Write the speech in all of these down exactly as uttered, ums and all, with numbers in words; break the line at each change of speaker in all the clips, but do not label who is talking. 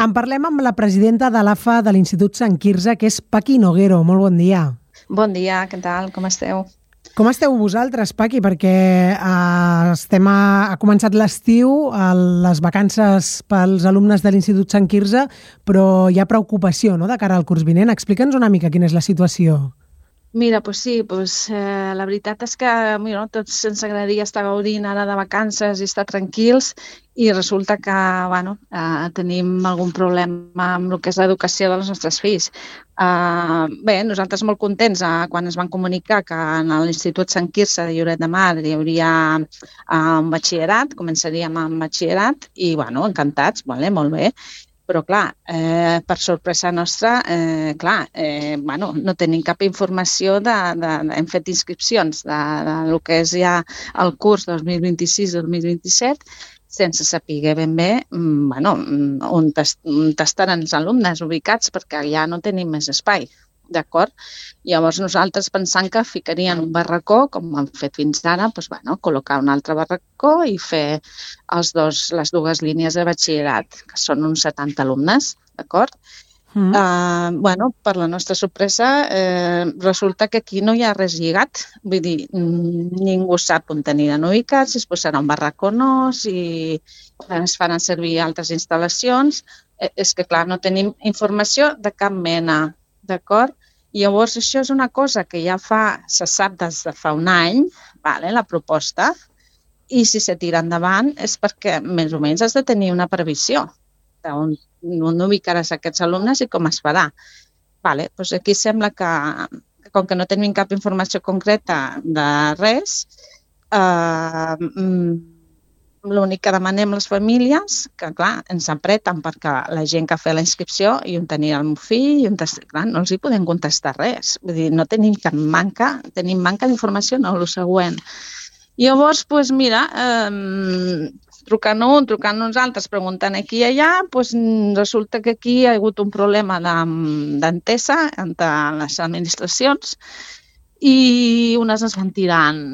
En parlem amb la presidenta de l'A F A de l'Institut Sant Quirze, que és Paqui Noguero. Molt bon dia.
Bon dia, què tal? Com esteu?
Com esteu vosaltres, Paqui? Perquè eh, estem a, ha començat l'estiu, les vacances pels alumnes de l'Institut Sant Quirze, però hi ha preocupació, no?, de cara al curs vinent. Explica'ns una mica quina és la situació.
Mira, doncs sí, doncs, eh, la veritat és que mira, tots ens agradaria estar gaudint ara de vacances i estar tranquils i resulta que bueno, eh, tenim algun problema amb el que és l'educació dels nostres fills. Eh, bé, nosaltres molt contents eh, quan es van comunicar que en l'Institut Sant Quirze de Lloret de Mar hi hauria eh, un batxillerat, començaríem amb batxillerat i bueno, encantats, vale, molt bé. Però, clar, eh, per sorpresa nostra, eh, clar, eh, bueno, no tenim cap informació, de, de, de, hem fet inscripcions de, de lo que és ja el curs dos mil vint-i-sis dos mil vint-i-set, sense saber ben bé bueno, on, on estaran els alumnes ubicats, perquè ja no tenim més espai. D'acord? Llavors nosaltres pensant que ficarien un barracó, com han fet fins ara, doncs, bueno, col·locar un altre barracó i fer els dos, les dues línies de batxillerat, que són uns setanta alumnes, d'acord? Mm. Uh, bueno, per la nostra sorpresa, eh, resulta que aquí no hi ha res lligat, vull dir, ningú sap on teniran ubicats, si es posarà un barracó o no, si es faran servir altres instal·lacions, eh, és que clar, no tenim informació de cap mena. D'acord? I llavors això és una cosa que ja fa, se sap des de fa un any, vale, la proposta, i si se tira endavant és perquè més o menys has de tenir una previsió d'on on ubicaràs aquests alumnes i com es farà. Vale, doncs aquí sembla que, com que no tenim cap informació concreta de res, eh, l'únic que demanem les famílies, que clar, ens apreten perquè la gent que ha fet la inscripció i on tenia el meu fill, i on clar, no els hi podem contestar res. Vull dir, no tenim cap manca, tenim manca d'informació, no, el següent. I llavors, doncs mira, eh, trucant un, trucant uns altres, preguntant aquí i allà, doncs resulta que aquí hi ha hagut un problema d'entesa entre les administracions i unes es van tirant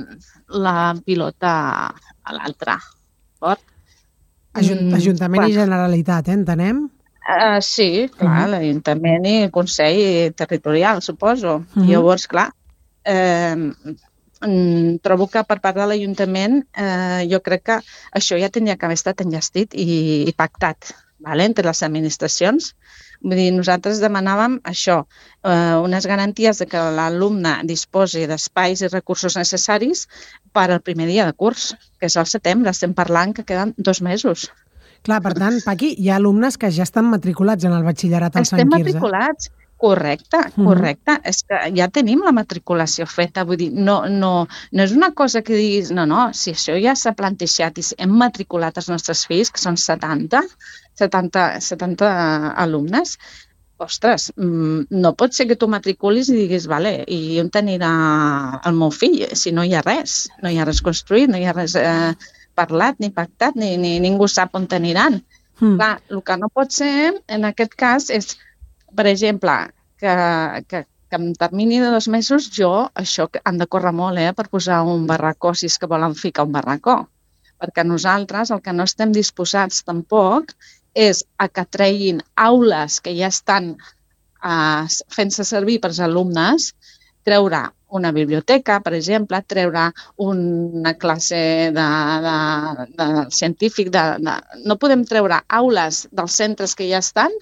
la pilota a l'altra.
Ajunt, Ajuntament mm, i Generalitat, eh, entenem?
Uh, sí, clar, uh-huh. l'Ajuntament i el Consell Territorial, suposo. Uh-huh. Llavors, clar, eh, trobo que per part de l'Ajuntament eh, jo crec que això ja tenia que haver estat enllestit i, i pactat, vale, entre les administracions. Vull dir, nosaltres demanàvem això, eh, unes garanties de que l'alumne disposi d'espais i recursos necessaris per al primer dia de curs, que és al setembre. Estem parlant que queden dos mesos.
Clar, per tant, Paqui, hi ha alumnes que ja estan matriculats en el batxillerat al Sant Quirze.
Estem matriculats, correcte, correcte. Mm-hmm. És que ja tenim la matriculació feta, vull dir, no, no, no és una cosa que diguis, no, no, si això ja s'ha plantejat i hem matriculat els nostres fills, que són setanta, setanta, setanta alumnes, ostres, no pot ser que tu matriculis i diguis, vale, i on anirà el meu fill? Si no hi ha res, no hi ha res construït, no hi ha res eh, parlat ni pactat, ni, ni ningú sap on aniran. Mm. Clar, el que no pot ser en aquest cas és, per exemple, que, que, que en termini de dos mesos jo, això han de córrer molt eh, per posar un barracó, si és que volen ficar un barracó. Perquè nosaltres el que no estem disposats tampoc és a que treguin aules que ja estan uh, fent-se servir per als alumnes, treure una biblioteca, per exemple, treure una classe de, de, de científic, de, de... no podem treure aules dels centres que ja estan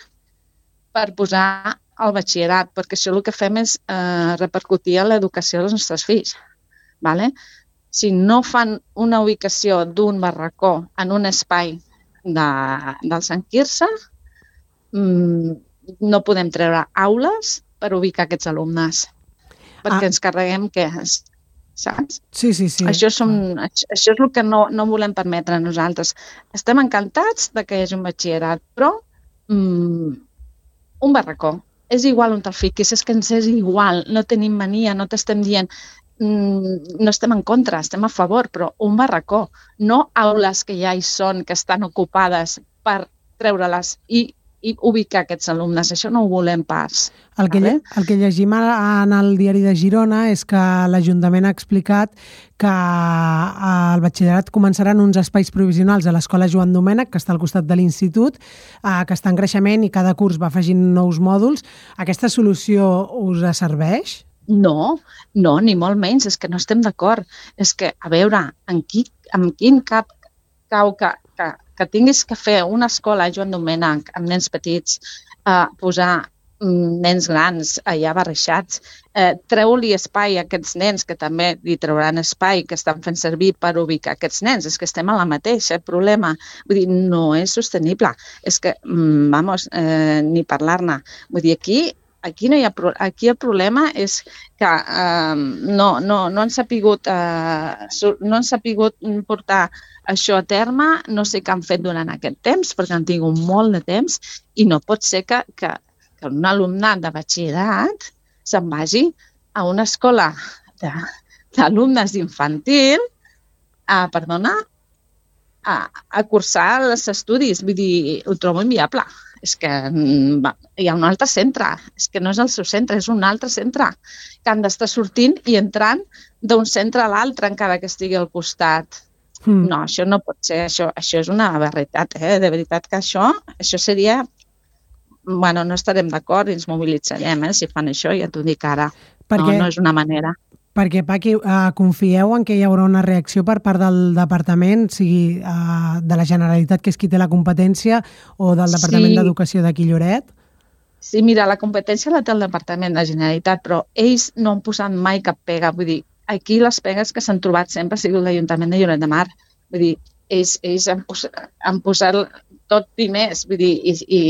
per posar al batxillerat, perquè això el que fem és eh, repercutir en l'educació dels nostres fills. Vale? Si no fan una ubicació d'un barracó en un espai de, del Sant Quirze, mmm, no podem treure aules per ubicar aquests alumnes, perquè ah. ens carreguem què és, saps?
Sí, sí, sí.
Això, som, això, això és el que no, no volem permetre a nosaltres. Estem encantats de que hi hagi un batxillerat, però mmm, un barracó. És igual on te'l fiquis, és que ens és igual, no tenim mania, no t'estem dient no estem en contra, estem a favor, però un barracó, no aules que ja hi són, que estan ocupades per treure-les i i ubicar aquests alumnes. Això no ho volem pas.
El que,
vale?
el que llegim en el diari de Girona és que l'Ajuntament ha explicat que al batxillerat començaran uns espais provisionals a l'Escola Joan Domènech, que està al costat de l'institut, que està en creixement i cada curs va afegint nous mòduls. Aquesta solució us serveix?
No, no, ni molt menys. És que no estem d'acord. És que, a veure, en, qui, en quin cap cau que, que, que tinguis que fer una escola a Joan Domènech amb nens petits, eh, posar nens grans allà barrejats, eh, treu-li espai a aquests nens que també li trauran espai que estan fent servir per ubicar aquests nens. És que estem a la mateixa, el problema. Vull dir, no és sostenible. És que, vamos, eh, ni parlar-ne. Vull dir, aquí Aquí, no hi ha, aquí el problema és que eh, no, no, no han sapigut, eh, no han sapigut portar això a terme, no sé què han fet durant aquest temps, perquè han tingut molt de temps, i no pot ser que, que, que un alumnat de batxillerat se'n vagi a una escola d'alumnes d'infantil, eh, perdona, a, a cursar els estudis. Vull dir, ho trobo inviable. És que va, hi ha un altre centre, és que no és el seu centre, és un altre centre, que han d'estar sortint i entrant d'un centre a l'altre encara que estigui al costat. Mm. No, això no pot ser, això, això és una veritat, eh? De veritat que això, això seria... Bueno, no estarem d'acord i ens mobilitzarem, eh? Si fan això, ja t'ho dic ara. Perquè... No, no és una manera.
Perquè, Paqui, eh, confieu en que hi haurà una reacció per part del departament, sigui eh, de la Generalitat, que és qui té la competència, o del Departament sí. d'Educació d'aquí Lloret?
Sí, mira, la competència la té el Departament de Generalitat, però ells no han posat mai cap pega. Vull dir, aquí les pegues que s'han trobat sempre ha sigut l'Ajuntament de Lloret de Mar. Vull dir, ells, ells han, posat, han posat tot diners, vull dir, i, i,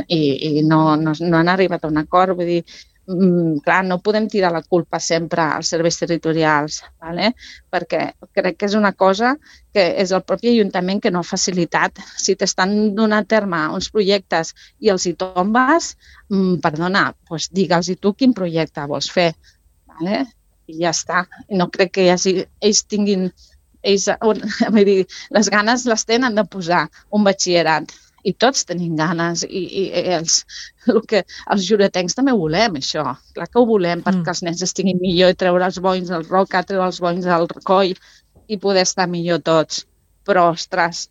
i, i no, no, no han arribat a un acord. Vull dir, Mm, clar, no podem tirar la culpa sempre als serveis territorials, ¿vale? Perquè crec que és una cosa que és el propi Ajuntament que no ha facilitat. Si t'estan donant a terme uns projectes i els hi tombes, mm, perdona, doncs digue'ls i tu quin projecte vols fer, ¿vale? I ja està. No crec que hagi, ells tinguin, ells, vull dir, les ganes les tenen de posar un batxillerat. I tots tenim ganes, i, i els, el que, els lloretencs també ho volem, això. Clar que ho volem, mm. perquè els nens estiguin millor i treure els boins al roca, treure els boins al coll i poder estar millor tots. Però, ostres,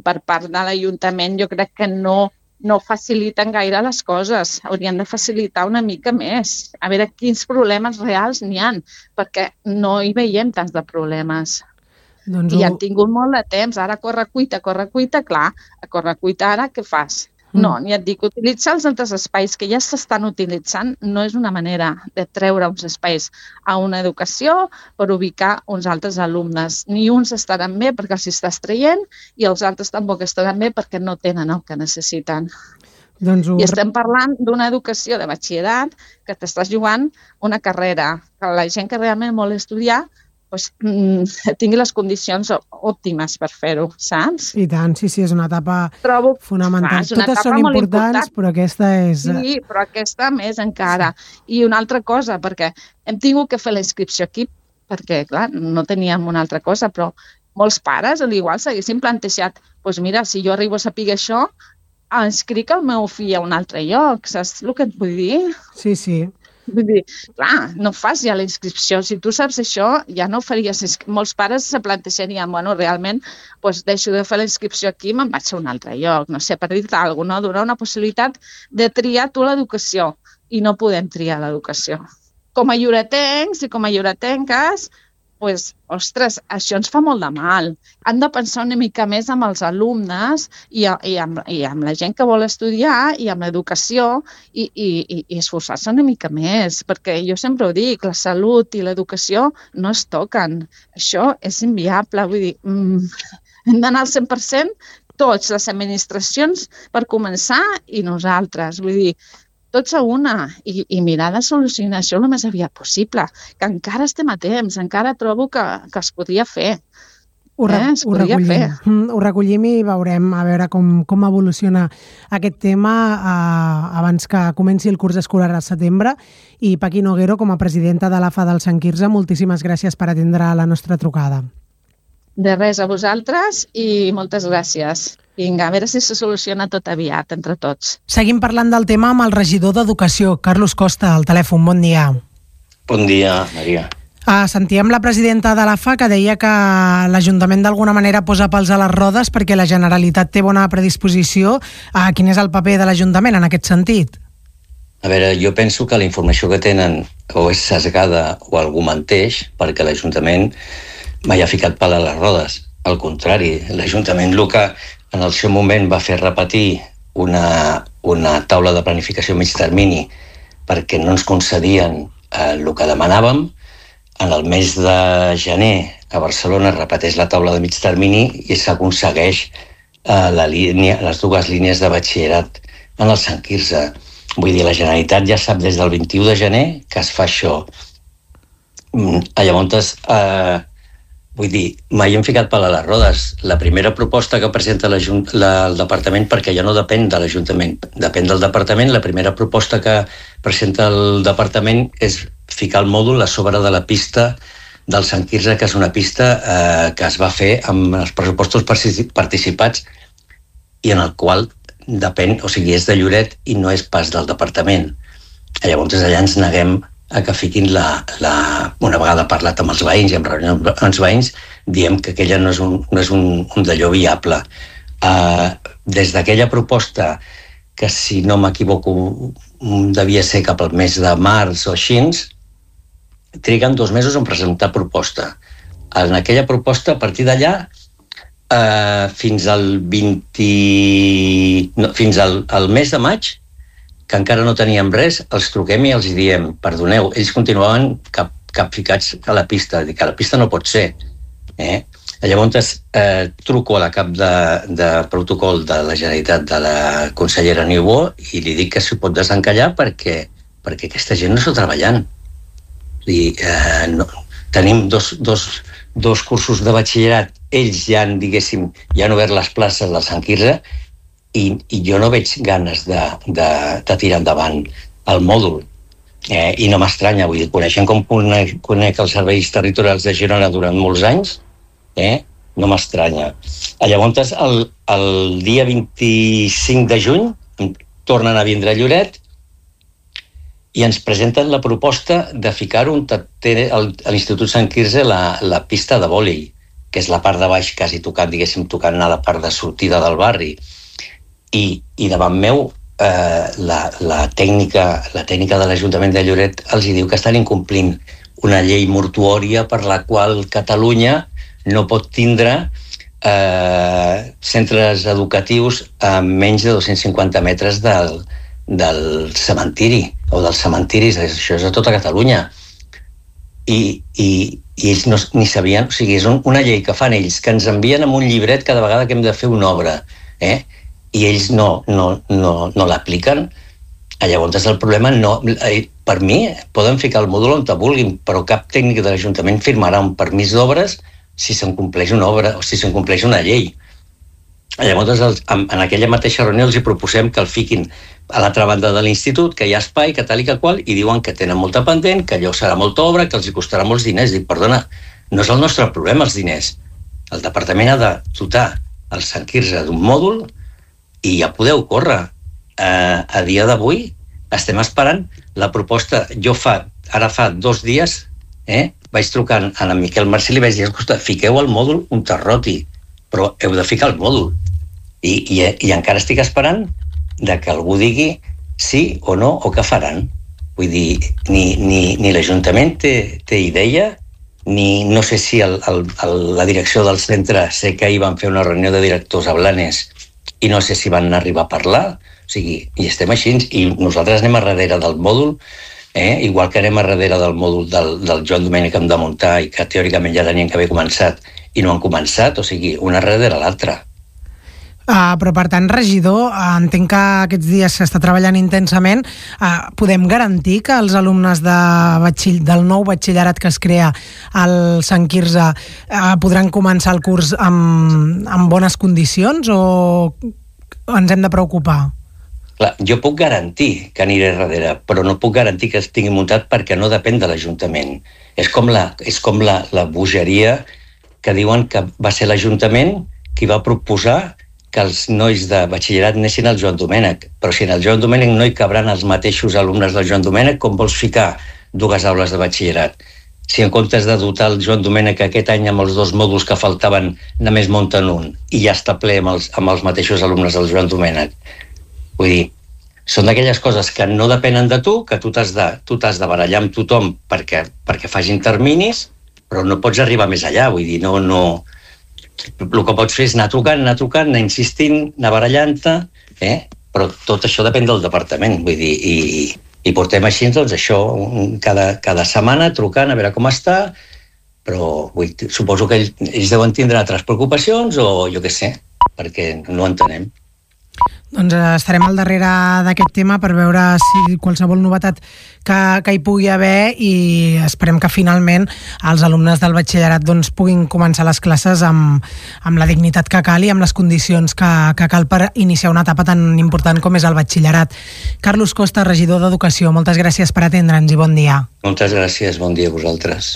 per part de l'Ajuntament jo crec que no, no faciliten gaire les coses. Haurien de facilitar una mica més. A veure quins problemes reals n'hi ha, perquè no hi veiem tants de problemes. Doncs I ho... han tingut molt de temps. Ara corre cuita, corre cuita, clar, a corre cuita ara què fas? Mm. No, ni et dic, utilitzar els altres espais que ja s'estan utilitzant no és una manera de treure uns espais a una educació per ubicar uns altres alumnes. Ni uns estaran bé perquè els estàs traient i els altres tampoc estaran bé perquè no tenen el que necessiten. Doncs ho... I estem parlant d'una educació de batxillerat que t'estàs jugant una carrera, que la gent que realment vol estudiar pues, mm, tingui les condicions òptimes per fer-ho, saps?
I tant, sí, sí, és una etapa
Trobo,
fonamental.
clar, una
Totes
etapa
són importants, important. Però aquesta és...
Sí, però aquesta més encara. Sí. I una altra cosa, perquè hem tingut que fer la inscripció aquí, perquè, clar, no teníem una altra cosa, però molts pares, a l'igual, s'haguessin plantejat, doncs mira, si jo arribo a saber això, inscric el meu fill a un altre lloc, saps el que et vull dir?
Sí, sí.
Vull dir, clar, no fas ja la inscripció. Si tu saps això, ja no faries... Molts pares se plantejarien, bueno, realment, doncs deixo de fer la inscripció aquí i me'n vaig a un altre lloc. No sé, per dir-te alguna cosa, no? Donar una possibilitat de triar tu l'educació i no podem triar l'educació. Com a lloretencs i com a lloretenques, doncs, ostres, això ens fa molt de mal. Han de pensar una mica més amb els alumnes i, i, amb, i amb la gent que vol estudiar i amb l'educació i, i, i esforçar-se una mica més, perquè jo sempre ho dic, la salut i l'educació no es toquen. Això és inviable, vull dir, mm, hem d'anar al cent per cent tots, les administracions per començar i nosaltres, vull dir, tots a una, i, i mirar de solucionar això el més aviat possible, que encara estem a temps, encara trobo que, que es podria fer.
Ho, re
eh?
ho, recollim. ho recollim i veurem a veure com, com evoluciona aquest tema eh, abans que comenci el curs escolar al setembre. I Paqui Noguero, com a presidenta de l'A F A del Sant Quirze, moltíssimes gràcies per atendre la nostra trucada.
De res, a vosaltres, i moltes gràcies. Vinga, a veure si se soluciona tot aviat entre tots.
Seguim parlant del tema amb el regidor d'Educació, Carlos Costa, al telèfon. Bon dia.
Bon dia, Maria.
Uh, sentíem la presidenta de l'A F A que deia que l'Ajuntament d'alguna manera posa pals a les rodes perquè la Generalitat té bona predisposició. Uh, quin és el paper de l'Ajuntament en aquest sentit?
A veure, jo penso que la informació que tenen o és sesgada o algú menteix perquè l'Ajuntament mai ha ficat pal a les rodes. Al contrari, l'Ajuntament el que en el seu moment va fer repetir una, una taula de planificació a mig termini perquè no ens concedien eh, el que demanàvem. En el mes de gener a Barcelona es repeteix la taula de mig termini i s'aconsegueix eh, la línia, les dues línies de batxillerat en el Sant Quirze. Vull dir, la Generalitat ja sap des del vint-i-u de gener que es fa això. Llavors, eh, vull dir, mai hem ficat pal a les rodes. La primera proposta que presenta la, la, el departament, perquè ja no depèn de l'Ajuntament, depèn del departament, la primera proposta que presenta el departament és ficar el mòdul a sobre de la pista del Sant Quirze, que és una pista eh, que es va fer amb els pressupostos participats i en el qual depèn, o sigui, és de Lloret i no és pas del departament. Llavors allà ens neguem a que fiquin la, la... Una vegada parlat amb els veïns i amb reunions amb els veïns, diem que aquella no és un, no és un, un d'allò viable. Uh, des d'aquella proposta, que si no m'equivoco devia ser cap al mes de març o així, triguen dos mesos en presentar proposta. En aquella proposta, a partir d'allà, uh, fins al vint... No, fins al, al mes de maig, que encara no teníem res, els truquem i els diem, perdoneu, ells continuaven cap, cap ficats a la pista, dic que la pista no pot ser. Eh? Llavors eh, truco a la cap de, de protocol de la Generalitat de la consellera Niubó i li dic que s'ho pot desencallar perquè, perquè aquesta gent no està treballant. I, eh, no, tenim dos, dos, dos cursos de batxillerat, ells ja han, diguéssim, ja han obert les places del Sant Quirze, I, i jo no veig ganes de, de, de tirar endavant el mòdul. Eh, I no m'estranya, vull dir, coneixent com conec, conec els serveis territorials de Girona durant molts anys, eh, no m'estranya. Llavors, el, el dia vint-i-cinc de juny, tornen a vindre a Lloret i ens presenten la proposta de ficar un, a l'Institut Sant Quirze la, la pista de vòlei, que és la part de baix quasi tocant, diguéssim, tocant a la part de sortida del barri. I, i davant meu eh, la, la, tècnica, la tècnica de l'Ajuntament de Lloret els diu que estan incomplint una llei mortuòria per la qual Catalunya no pot tindre eh, centres educatius a menys de dos-cents cinquanta metres del, del cementiri o dels cementiris, això és a tota Catalunya. I, i, i ells no, ni sabien, o sigui, és un, una llei que fan ells, que ens envien amb un llibret cada vegada que hem de fer una obra, eh? I ells no, no, no, no l'apliquen. Llavors el problema no... Per mi poden ficar el mòdul on te vulguin, però cap tècnic de l'Ajuntament firmarà un permís d'obres si se'n compleix una obra o si se'n compleix una llei. Llavors en, en aquella mateixa reunió els hi proposem que el fiquin a l'altra banda de l'institut, que hi ha espai, que tal i que qual, i diuen que tenen molta pendent, que allò serà molta obra, que els hi costarà molts diners. Dic, perdona, no és el nostre problema els diners. El departament ha de dotar el Sant Quirze d'un mòdul i ja podeu córrer. Eh, a dia d'avui estem esperant la proposta. Jo fa, ara fa dos dies, eh, vaig trucar a en Miquel Marcel i vaig dir, escolta, fiqueu el mòdul un terroti, però heu de ficar el mòdul. I, i, i encara estic esperant de que algú digui sí o no, o què faran. Vull dir, ni, ni, ni l'Ajuntament té, té idea, ni no sé si el, el, el, la direcció del centre, sé que ahir van fer una reunió de directors a Blanes i no sé si van arribar a parlar, o sigui, i estem així, i nosaltres anem a darrere del mòdul, eh? Igual que anem a darrere del mòdul del, del Joan Domènech hem de muntar i que teòricament ja tenien que haver començat i no han començat, o sigui, una darrere l'altra.
Uh, però, per tant, regidor, uh, entenc que aquests dies s'està treballant intensament. Uh, podem garantir que els alumnes de batxill, del nou batxillerat que es crea al Sant Quirze uh, podran començar el curs amb, amb bones condicions o ens hem de preocupar?
Clar, jo puc garantir que aniré darrere, però no puc garantir que estigui muntat perquè no depèn de l'Ajuntament. És com la, és com la, la bogeria que diuen que va ser l'Ajuntament qui va proposar que els nois de batxillerat anessin al Joan Domènech, però si en el Joan Domènech no hi cabran els mateixos alumnes del Joan Domènech, com vols ficar dues aules de batxillerat? Si en comptes de dotar el Joan Domènech aquest any amb els dos mòduls que faltaven només munten un i ja està ple amb els, amb els mateixos alumnes del Joan Domènech. Vull dir, són d'aquelles coses que no depenen de tu, que tu t'has de, tu t'has de barallar amb tothom perquè, perquè facin terminis, però no pots arribar més allà. Vull dir, no, no... El que pots fer és anar trucant, anar trucant, anar insistint, anar barallant-te, eh? Però tot això depèn del departament, vull dir, i, i portem així, doncs, això, cada, cada setmana trucant a veure com està, però vull, suposo que ells, ells deuen tindre altres preocupacions o jo què sé, perquè no entenem.
Doncs estarem al darrere d'aquest tema per veure si qualsevol novetat que, que hi pugui haver, i esperem que finalment els alumnes del batxillerat doncs, puguin començar les classes amb, amb la dignitat que cal i amb les condicions que, que cal per iniciar una etapa tan important com és el batxillerat. Carlos Costa, regidor d'Educació, moltes gràcies per atendre'ns i bon dia.
Moltes gràcies, bon dia a vosaltres.